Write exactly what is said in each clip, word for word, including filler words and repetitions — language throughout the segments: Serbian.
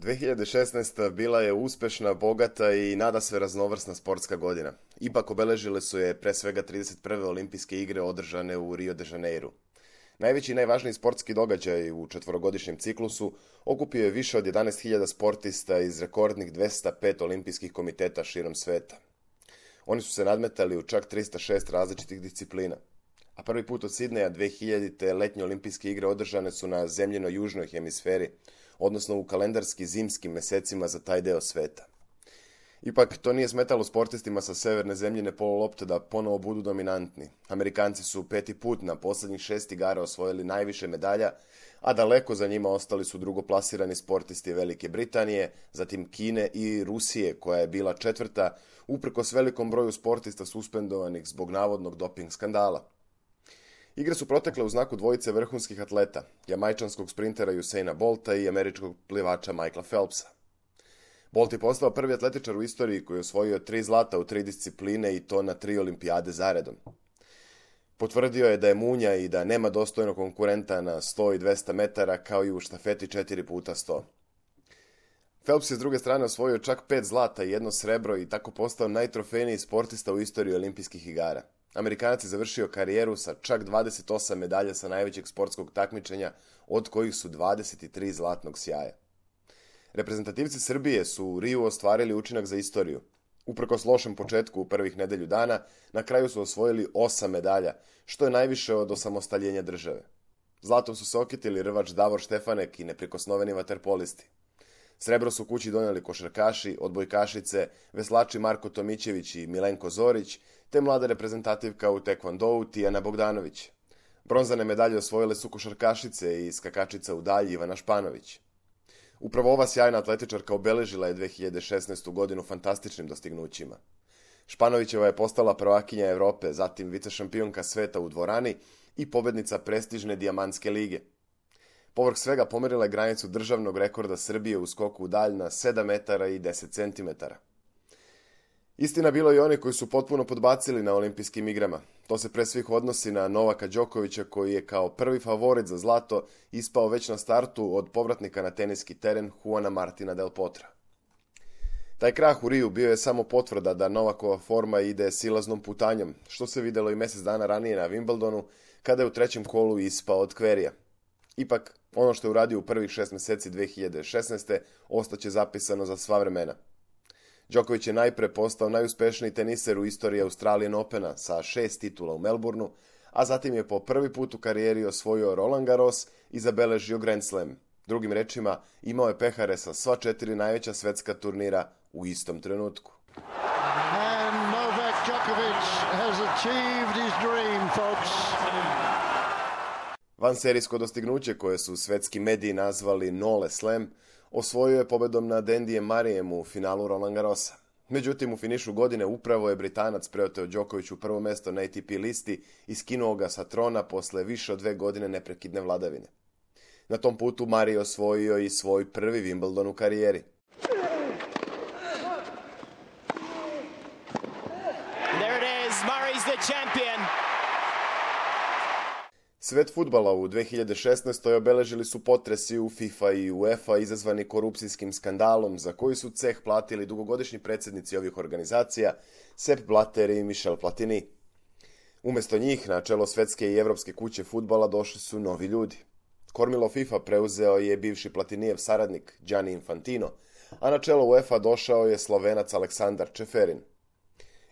dve hiljade šesnaesta. bila je uspešna, bogata i nadasve raznovrsna sportska godina. Ipak obeležile su je pre svega trideset prve olimpijske igre održane u Rio de Janeiru. Najveći i najvažniji sportski događaj u četvorogodišnjem ciklusu okupio je više od jedanaest hiljada sportista iz rekordnih dvesta pet olimpijskih komiteta širom sveta. Oni su se nadmetali u čak trista šest različitih disciplina. A prvi put od Sidneja dve hiljadite. letnje olimpijske igre održane su na zemljinoj južnoj hemisferi, odnosno u kalendarski zimskim mesecima za taj deo sveta. Ipak, to nije smetalo sportistima sa severne zemljine polulopte da ponovo budu dominantni. Amerikanci su peti put na poslednjih šest igara osvojili najviše medalja, a daleko za njima ostali su drugoplasirani sportisti Velike Britanije, zatim Kine i Rusije, koja je bila četvrta, uprkos velikom broju sportista suspendovanih zbog navodnog doping skandala. Igre su protekle u znaku dvojice vrhunskih atleta, jamajčanskog sprintera Usaina Bolta i američkog plivača Michaela Phelpsa. Bolt je postao prvi atletičar u istoriji koji je osvojio tri zlata u tri discipline i to na tri olimpijade zaredom. Potvrdio je da je munja i da nema dostojnog konkurenta na sto i dvesta metara, kao i u štafeti četiri puta sto. Phelps je s druge strane osvojio čak pet zlata i jedno srebro i tako postao najtrofejniji sportista u istoriji olimpijskih igara. Amerikanac je završio karijeru sa čak dvadeset osam medalja sa najvećeg sportskog takmičenja, od kojih su dvadeset tri zlatnog sjaja. Reprezentativci Srbije su u Riju ostvarili učinak za istoriju. Uprkos lošem početku u prvih nedelju dana, na kraju su osvojili osam medalja, što je najviše od osamostaljenja države. Zlatom su se okitili rvač Davor Štefanek i neprikosnoveni vaterpolisti. Srebro su kući donijeli košarkaši, odbojkašice, veslači Marko Tomićević i Milenko Zorić, te mlada reprezentativka u tekvondou Tijana Bogdanović. Bronzane medalje osvojile su košarkašice i skakačica u dalji Ivana Španović. Upravo ova sjajna atletičarka obeležila je dve hiljade šesnaestu. godinu fantastičnim dostignućima. Španovićeva je postala prvakinja Evrope, zatim vicešampionka sveta u dvorani i pobednica prestižne Dijamantske lige. Povrh svega pomerila je granicu državnog rekorda Srbije u skoku u dalj na sedam metara i deset centimetara. Istina, bilo je i oni koji su potpuno podbacili na olimpijskim igrama. To se pre svih odnosi na Novaka Đokovića, koji je kao prvi favorit za zlato ispao već na startu od povratnika na teniski teren Juana Martina del Potra. Taj krah u Riju bio je samo potvrda da Novakova forma ide silaznom putanjom, što se videlo i mesec dana ranije na Wimbledonu, kada je u trećem kolu ispao od Kverija. Ipak, ono što je uradio u prvih šest meseci dve hiljade šesnaeste. ostaće zapisano za sva vremena. Đoković je najpre postao najuspešniji teniser u istoriji Australian Opena sa šest titula u Melbourneu, a zatim je po prvi put u karijeri osvojio Roland Garros i zabeležio Grand Slam. Drugim rečima, imao je pehare sa sva četiri najveća svetska turnira u istom trenutku. And Novak Djokovic has achieved his dream, folks. Vanserijsko dostignuće, koje su svetski mediji nazvali Nole Slam, osvojio je pobedom nad Andyjem Murrayem u finalu Roland Garrosa. Međutim, u finišu godine upravo je Britanac preoteo Đokoviću prvo mesto na A T P listi i skinuo ga sa trona posle više od dve godine neprekidne vladavine. Na tom putu Murray osvojio i svoj prvi Wimbledon u karijeri. There it is, Murray's the champion. Svet fudbala u dve hiljade šesnaestoj. obeležili su potresi u FIFA i UEFA izazvani korupcijskim skandalom, za koji su ceh platili dugogodišnji predsjednici ovih organizacija Sepp Blatter i Michel Platini. Umesto njih, na čelo svetske i evropske kuće fudbala došli su novi ljudi. Kormilo FIFA preuzeo je bivši Platinijev saradnik Gianni Infantino, a na čelo UEFA došao je Slovenac Aleksandar Čeferin.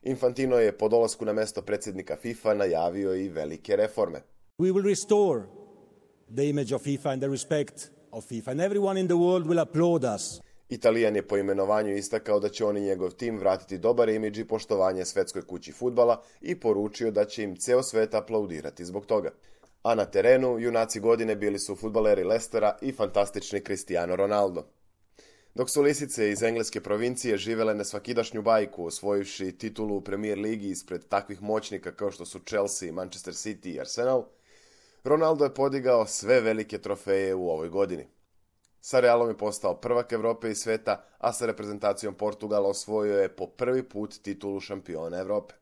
Infantino je po dolasku na mesto predsjednika FIFA najavio i velike reforme. We will restore the image of FIFA and the respect of FIFA, and everyone in the world will applaud us. Italijan je po imenovanju istakao da će on i njegov tim vratiti dobar imidž i poštovanje svetskoj kući fudbala i poručio da će im ceo svet aplaudirati zbog toga. A na terenu, junaci godine bili su fudbaleri Lestera i fantastični Cristiano Ronaldo. Dok su lisice iz engleske provincije živele nesvakidašnju bajku, osvojivši titulu u Premier ligi ispred takvih moćnika kao što su Chelsea, Manchester City i Arsenal, Ronaldo je podigao sve velike trofeje u ovoj godini. Sa Realom je postao prvak Evrope i sveta, a sa reprezentacijom Portugala osvojio je po prvi put titulu šampiona Evrope.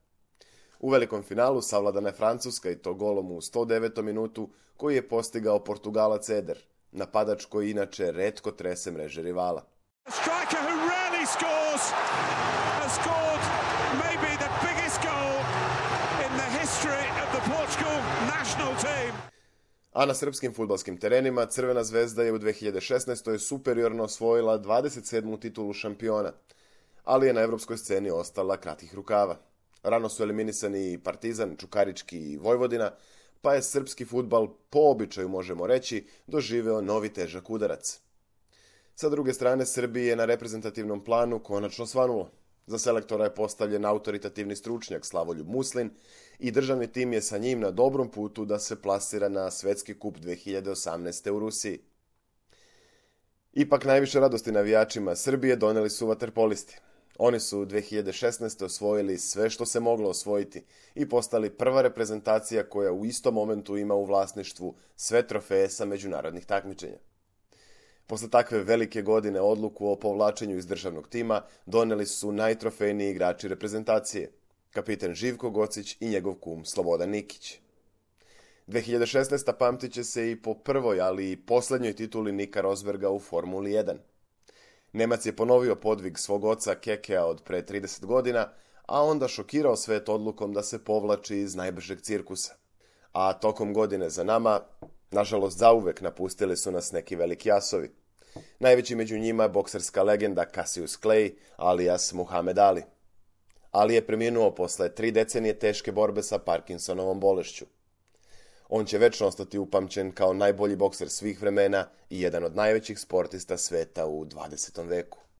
U velikom finalu savladana je Francuska i to golom u sto devetom minutu koji je postigao Portugalac Eder, napadač koji inače retko trese mreže rivala. A striker who rarely scores has scored maybe the biggest goal in the history of the Portugal national team. A na srpskim fudbalskim terenima Crvena zvezda je u dve hiljade šesnaestoj superiorno osvojila dvadeset sedmu titulu šampiona, ali je na evropskoj sceni ostala kratkih rukava. Rano su eliminisani Partizan, Čukarički i Vojvodina, pa je srpski fudbal, po običaju možemo reći, doživeo novi težak udarac. Sa druge strane, Srbiji je na reprezentativnom planu konačno svanulo. Za selektora je postavljen autoritativni stručnjak Slavoljub Muslin i državni tim je sa njim na dobrom putu da se plasira na Svetski kup dve hiljade osamnaeste. u Rusiji. Ipak najviše radosti navijačima Srbije doneli su vaterpolisti. Oni su dve hiljade šesnaeste. osvojili sve što se moglo osvojiti i postali prva reprezentacija koja u istom momentu ima u vlasništvu sve trofeje sa međunarodnih takmičenja. Posle takve velike godine odluku o povlačenju iz državnog tima doneli su najtrofejniji igrači reprezentacije, kapiten Živko Gocić i njegov kum Slobodan Nikić. dve hiljade šesnaeste. pamtit će se i po prvoj, ali i poslednjoj tituli Nika Rosberga u Formuli jedan. Nemac je ponovio podvig svog oca Kekea od pre trideset godina, a onda šokirao svet odlukom da se povlači iz najbržeg cirkusa. A tokom godine za nama, nažalost zauvek napustili su nas neki veliki asovi. Najveći među njima je bokserska legenda Cassius Clay, alias Muhammed Ali. Ali je preminuo posle tri decenije teške borbe sa Parkinsonovom bolešću. On će večno ostati upamćen kao najbolji bokser svih vremena i jedan od najvećih sportista sveta u dvadesetom veku.